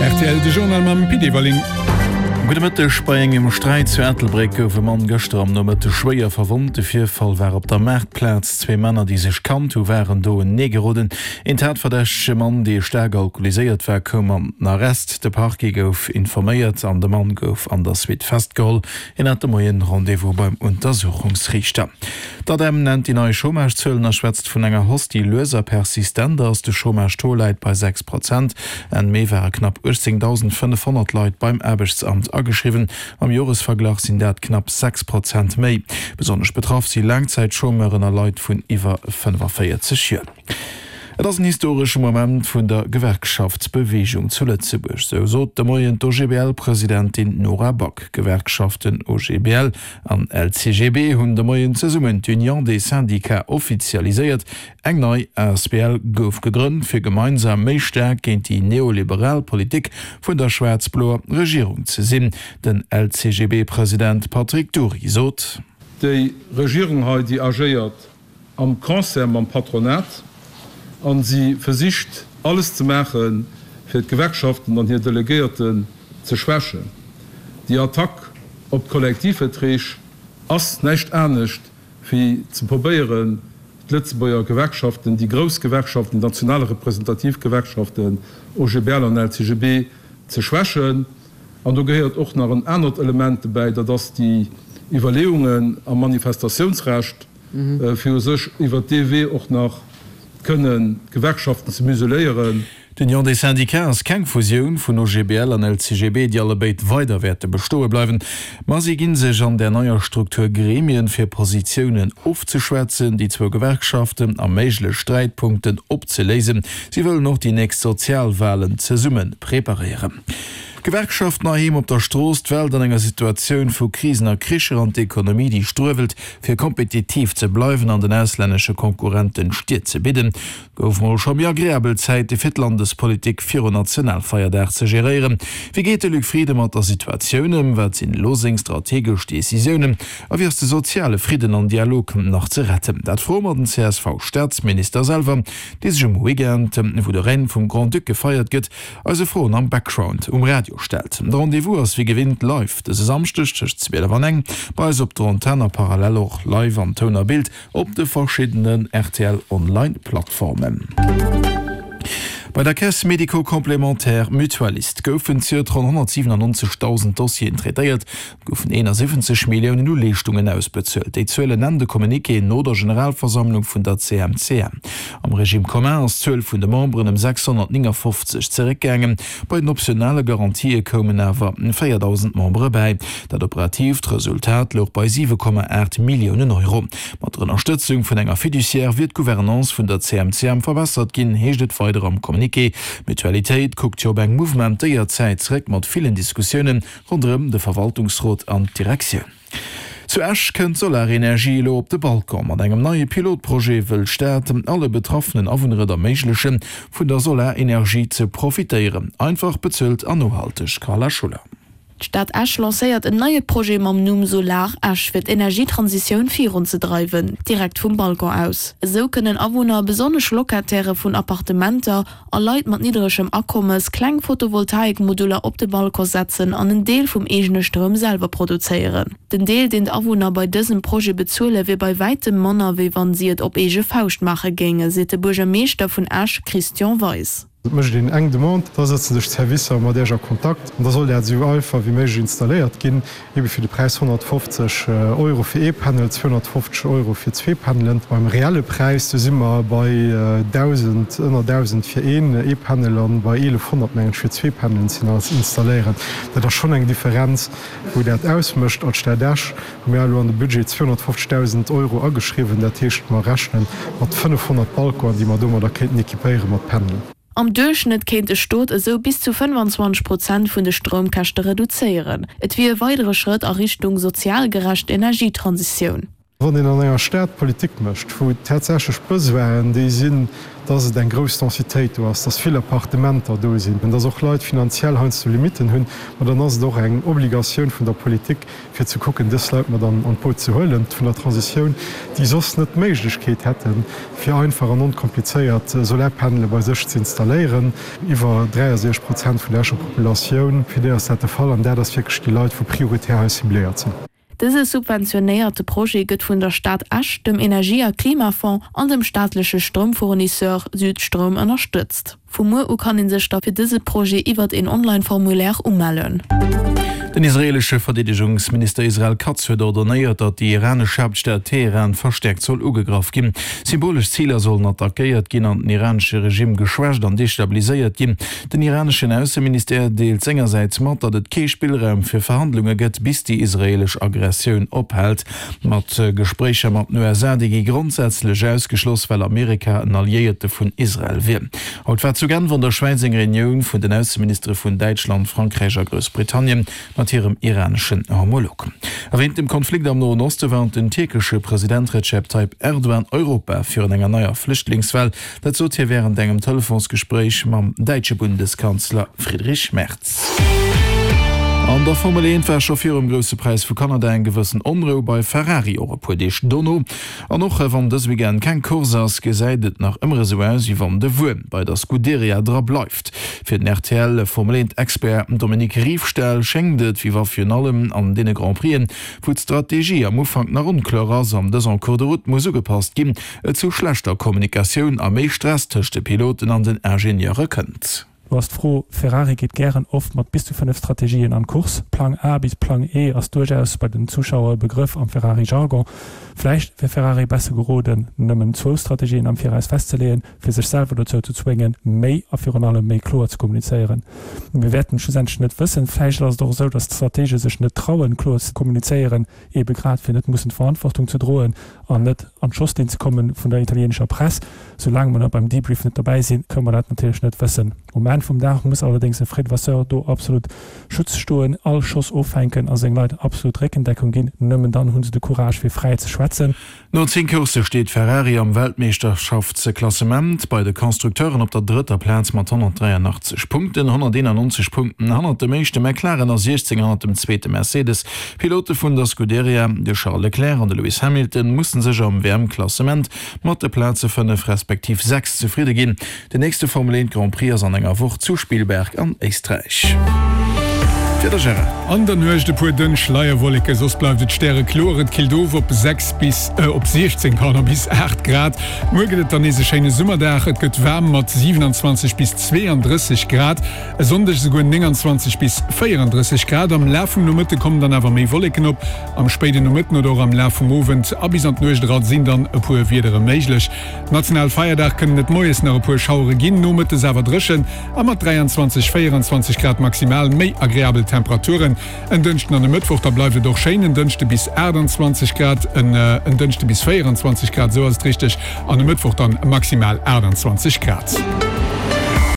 Rtl, de Journal mam Pit Everling. Gudde Mëtteg. Bei engem Sträit zu Ettelbréck gouf e Mann gëschter am Nomëtteg schwéier verwonnt. De Virfall war op der Maartplaz. Zwee Männer, déi sech kannt hu waren do uneneegeroden. Een tatverdächtege Mann, dee staark alkoholiséiert war, koum an den Arrest. De Parquet gouf informéiert an de Mann gouf an der Suite festgeholl. Hien hat de Moien Rendez-vous beim Untersuchungsriichter. D'ADEM nennt déi nei Chômage-Zuelen a schwätzt vun enger Hausse, déi lues a persistent ass. De Chômage-Taux läit bei 6 Prozent. Enn Mee ware knapp 18.500 Leit beim Aarbechtsamt ageschriwwen. Am Joresverglach sinn dat knapp 6 Prozent méi. Besonnesch betraff si Laangzäitchômeuren a Leit vun iwwer 45 Joer. Et ass en historesche Moment vun der Gewerkschaftsbeweegung zu Lëtzebuerg, sou sot de Moien d'OGBL-Presidentin Nora Back. D'Gewerkschaften OGBL an LCGB hunn de Moien zesummen d'Union des Syndicats offizialiséiert. Eng nei asbl gouf gegrënnt, fir gemeinsam méi staark géint déi neoliberal Politik vun der schwaarz-bloer Regierung ze sinn. Den LCGB-President Patrick Dury sot. Déi Regierung hei, déi agéiert am Concert mam Patronat a si versicht alles ze maachen, fir d'Gewerkschaften an hir Delegéierten ze schwächen. Déi Attack op d'Kollektivverträg ass näischt anescht wéi ze probéieren, d'Lëtzebuerger Gewerkschaften, déi grouss Gewerkschaften, déi national representativ Gewerkschaften, OGBL an LCGB, ze schwächen. An do gehéiert och nach en anert Element dobäi, dat ass déi Iwwerleeungen am Manifestatiounsrecht, fir u sech iwwert dee Wee och nach kënnen d'Gewerkschaften ze museléieren. D'Union des Syndicats ass keng Fusioun vun OGBL an LCGB, déi allebéid weider wäerte bestoe bleiwen. Ma si ginn sech an där neier Struktur Gremien, fir Positiounen ofzeschwätzen, déi zwou Gewerkschaften a méiglech Sträitpunkten opzeléisen. Si wëllen och déi nächst Sozialwalen zesumme preparéieren. D'Gewerkschaften heiheem op der Strooss, d'Welt an enger Situatioun vu Krisen a Kricher an d'Ekonomie, déi struewelt, fir kompetitiv ze bleiwen an den auslännesche Konkurrenten d'Stier ze bidden. Gouf mol scho méi agreabel Zäite fir d'Landespolitik virun Nationalfeierdag ze geréieren. Wéi geet de Luc Frieden mat der Situatioun ëm? Wat sinn elo seng strategesch Decisiounen? A wéi ass de soziale Fridden an Dialog nach ze retten? Dat froe mer den CSV-Staatsminister selwer, dee sech um Weekend, wou de Règne vum Grand-Duc gefeiert gëtt, Eise Froen am Background um Radio stellt. De Rendez-vous ass wéi gewinnt live dëse Samschdeg tëscht 12 an eng bei eis op der Antenn a parallel och live an Toun a Bild op de verschiddenen rtl Online Plattformen. Bei der Caisse médico-complémentaire Mutualiste goufen zejoert ronn 197.000 Dossieren traitéiert. Et goufen 71 Milliounen u Leeschtungen ausbezuelt. Déi Zuelen nennt e Communiqué no der Generalversammlung vun der CMCM. Am Régime commun ass d'Zuel vun de Memberen ëm 659 zeréckgaangen. Bei den optionale Garantië koumen awer 4.000 Membere bäi. Dat operatiivt Resultat louch bei 7,8 Milliounen Euro. Mat der Ënnerstëtzung vun enger Fiduciaire wier d'Gouvernance vun der CMCM verbessert ginn, heescht et weider am Communiqué. D'Mutualitéit kuckt jo op eng mouvementéiert Zäit zeréck mat villen Diskussiounen ronderëm de Verwaltungsrot an d'Direktioun. Zu Esch kënnt d'Solarenergie elo op de Balcon. Mat engem neie Pilotprojet wëll d'Stad alle betraffenen Awunner et erméiglechen, vun der Solarenergie ze profitéieren. Einfach, bezuelt an nohalteg. Carla Schuller. D'Stad Esch lancéiert en neie Projet mam Numm Solar Esch fir d'Energietransitioun virunzedreiwen, direkt vum Balcon aus. Esou kënnen Awunner, besonnesch Locatairë vun Appartementer, a Leit mat nidderegem Akommes kleng Photovoltaikmoduller op de Balcon setzen an en Deel vum eegene Stroum selwer produzéieren. Den Deel, deen d'Awunner bei dësem Projet bezuelen, wier bei wäitem manner, wéi wann si et op eege Fauscht maache géinge, seet de Buergermeeschter vun Esch Christian Weis. Et mécht een eng Demande, da sëtzen sech d'Servicer mat Iech a Kontakt an da soll dat esou einfach wéi méiglech installéiert ginn. Ebe fir de Präis 150 Euro fir ee Panel, 250 Euro fir zwee Panelen. Beim reelle Präis, do si mer bei 1.000, ënner 1.000 fir een ee Panel an bei 1.100 mengen ech fir zwee Panelen ze installéieren. Dat ass schonn eng Differenz, wou dat ausmécht. Als Stad Esch hu mir elo an de Budget 250.000 Euro ageschriwwen. Dat heescht, mer rechne mat 500 Balconen, déi mer domadder kéinten équipéiere mat Panelen. Am Duerchschnëtt kéint e Stot esou bis zu 25 Prozent vun de Stroumkäschte reduzéieren. Et wier e weidere Schrëtt a Richtung sozial gerecht Energietransitioun. Wann een an enger Stad Politik mécht, wou tatsächlech d'Besoinen déi sinn, dass et eng grouss Densitéit do ass, dass vill Appartementer do sinn, dass och Leit finanziell heiansdo Limitten hunn, ma dann ass et och eng Obligatioun vun der Politik, fir ze kucken, dës Leit mat an d'Boot ze huelen vun der Transitioun, déi soss net d'Méiglechkeet hätten, fir einfach an onkomplizéiert Solarpanele bei sech ze installéieren. Iwwer 63 Prozent vun der Escher Populatioun, fir déi ass dat de Fall, an dat ass wierklech déi Leit, wou prioritär hei cibléiert sinn. Dëse subventionéierte Projet gëtt vun der Stad Esch, dem Energie a Klimafonds an dem staatleche Stroumfournisseur Südstroum ënnerstëtzt. Vu muer u kann ee sech da fir dëse Projet iwwert een Online-Formulaire umellen. Den israeelesche Verdeedegungsminister Israel Katz huet ordonéiert, datt déi iranesch Haaptstad Teheran verstäerkt soll ugegraff ginn. Symbolesch Ziler sollen attackéiert ginn an den iranesche Regimm geschwächt an destabiliséiert ginn. Den iraneschen Ausseministère deelt sengersäits mat, datt et kee Spillraum fir Verhandlunge gëtt, bis déi israeelesch Aggressioun ophält. Mat Gespréicher mat den USA, déi gi grondsätzlech ausgeschloss, well Amerika en Alliéierte vun Israel wier. Haut war zu Genf an der Schwäiz eng Reunioun vun den Ausseministere vun Däitschland, Frankräich a Groussbritannien mat hirem iraneschen Homolog. A wéint dem Konflikt am Noen Oste warnt den tierkesche President Recep Tayyip Erdogan Europa virun enger neier Flüchtlingswell. Dat sot hie wärend engem Telefonsgespréich mam däitsche Bundeskanzler Friedrich Merz. An der Formel 1 war scho virum Grousse Präis vu Kanada eng gewëssen Onrou bei Ferrari, och e puer Deeg dono. An och wann dës Weekend keng Course ass, gesäit et nach ëmmer esou aus, wéi wann de Wuerm bei der Scuderia dra bleift. Fir den rtl Formel 1 Expert Dominique Riefstahl schéngt et, wéi wa virun allem an deene Grand Prixen, wou d'Strategie am Ufank nach onkloer ass an dës en cours de route muss ugepasst ginn, et zu schlechter Kommunikatioun a méi Stress tëscht de Piloten an den Ingenieure kënnt. Do ass d'Fro, Ferrari geet gären oft mat bis zu 5 Strategien an d'Course. Plang A bis Plang E ass duerchaus bei den Zuschauer e Begrëff am Ferrari-Jargon. Vläicht wär Ferrari besser geroden, nëmmen zwou Strategien am Viraus festzeleeën, fir sech selwer dozou ze zwéngen, méi a virun allem méi kloer ze kommunizéieren. Mir wäerten et schlussendlech net wëssen. Vläicht ass et och esou, datt d'Stratege sech net trauen, kloer ze kommunizéieren, ebe grad fir net mussen d'Verantwortung ze droen an net an d'Schosslinn ze komme vun der italienescher Press. Soulaang mer da beim Debrief net dobäi sinn, kënne mer dat natierlech net wëssen. Um Enn vum Dag muss allerdéngs e Fred Vasseur do absolut Schutz stoen, all Schoss offänken a seng Leit absolut Réckendeckung ginn. Nëmmen dann hu se de Courage fir fräi ze schwätzen. No 10 Coursse steet Ferrari am Weltmeeschterschaftsklassement bei de Constructeuren op der drëtter Plaz mat 183 Punkten, 191 Punkten hannert dem éischte McLaren a 16 hannert dem zweete Mercedes. D'Pilote vun der Scuderia, de Charles Leclerc an de Lewis Hamilton, musse sech am WM-Klassement mat de Plaze 5 respektiv 6 zefridde ginn. Den nächste Formel 1 Grand Prix ass an enger Woch zu Spielberg an Éisträich. D'Wieder, Gérard. An der Nuecht e puer dënn Schleierwolleke, soss bleift et stärekloer. Et killt of op 6 bis, op 16, pardon, bis 8 Grad. Muer gëtt et dann nees e schéine Summerdag, et gëtt waarm mat 27 bis 32 Grad. E Sonndeg esouguer 29 bis 34 Grad. Am Laf vum Nomëtte kommen dann awer méi Wolleken op. Am spéiden Nomëtten oder och am Laf vum Owend a bis an d'Nuecht era sinn dann e puer Wiedere méiglech. Nationalfeierdag kënnen et moies nach e puer Schauere ginn, nomëttes awer dréchen a mat 23, 24 Grad maximal méi agreabel Temperaturen. En Dënschden an e Mëttwoch da bleift et och schéin, en Dënschde bis 28 Grad, en Dënschde bis 24 Grad, esou ass et richteg, an e Mëttwoch dann maximal 28 Grad.